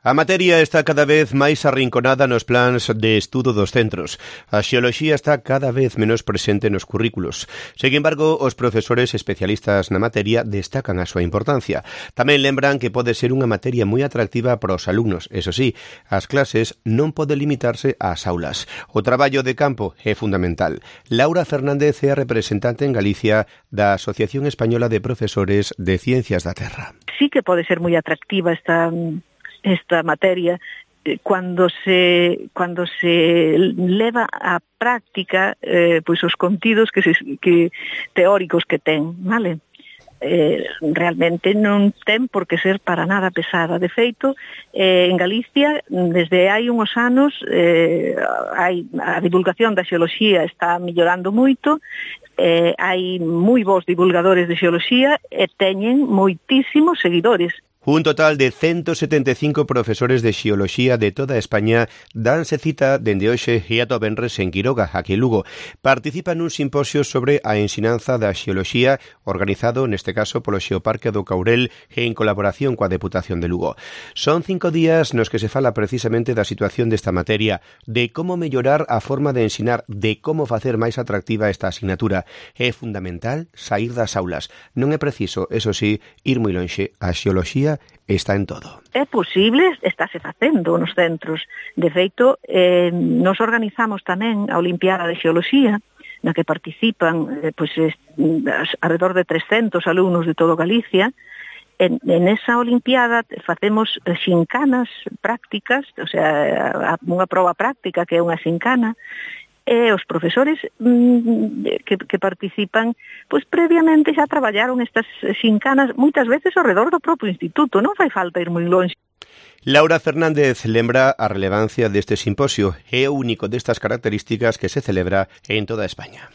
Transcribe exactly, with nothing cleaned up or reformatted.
A materia está cada vez máis arrinconada nos plans de estudo dos centros. A xeoloxía está cada vez menos presente nos currículos. Sen embargo, os profesores especialistas na materia destacan a súa importancia. Tamén lembran que pode ser unha materia moi atractiva para os alumnos. Eso sí, as clases non poden limitarse ás aulas. O traballo de campo é fundamental. Laura Fernández é a representante en Galicia da Asociación Española de Profesores de Ciencias da Terra. Sí que pode ser moi atractiva esta... esta materia cuando se cuando se leva á práctica eh, pois os contidos que, se, que teóricos que ten, vale? Eh, realmente non ten por que ser para nada pesada. De feito, eh, en Galicia, desde hai uns anos, eh, hai, a divulgación da xeoloxía está mellorando moito, eh, hai moi bons divulgadores de xeoloxía e teñen moitísimos seguidores. Un total de ciento setenta e cinco profesores de xeoloxía de toda España danse cita dende hoxe e ata o venres en Quiroga, aquí en Lugo. Participan nun simposio sobre a ensinanza da xeoloxía organizado, neste caso, polo Xeoparque do Caurel e en colaboración coa Deputación de Lugo. Son cinco días nos que se fala precisamente da situación desta materia, de como mellorar a forma de ensinar, de como facer máis atractiva esta asignatura. É fundamental saír das aulas. Non é preciso, eso sí, ir moi lonxe. A xeoloxía está en todo. É posible, estáse facendo nos centros. De feito, eh, nos organizamos tamén a Olimpiada de Xeoloxía, na que participan eh, pois, alrededor de trescentos alumnos de todo Galicia. En, en esa Olimpiada facemos xincanas prácticas, o sea, unha proba práctica que é unha xincana, e os profesores mm, que, que participan, pois previamente xa traballaron estas xincanas moitas veces ao redor do propio instituto, non fai falta ir moi longe. Laura Fernández lembra a relevancia deste simposio, é o único destas características que se celebra en toda España.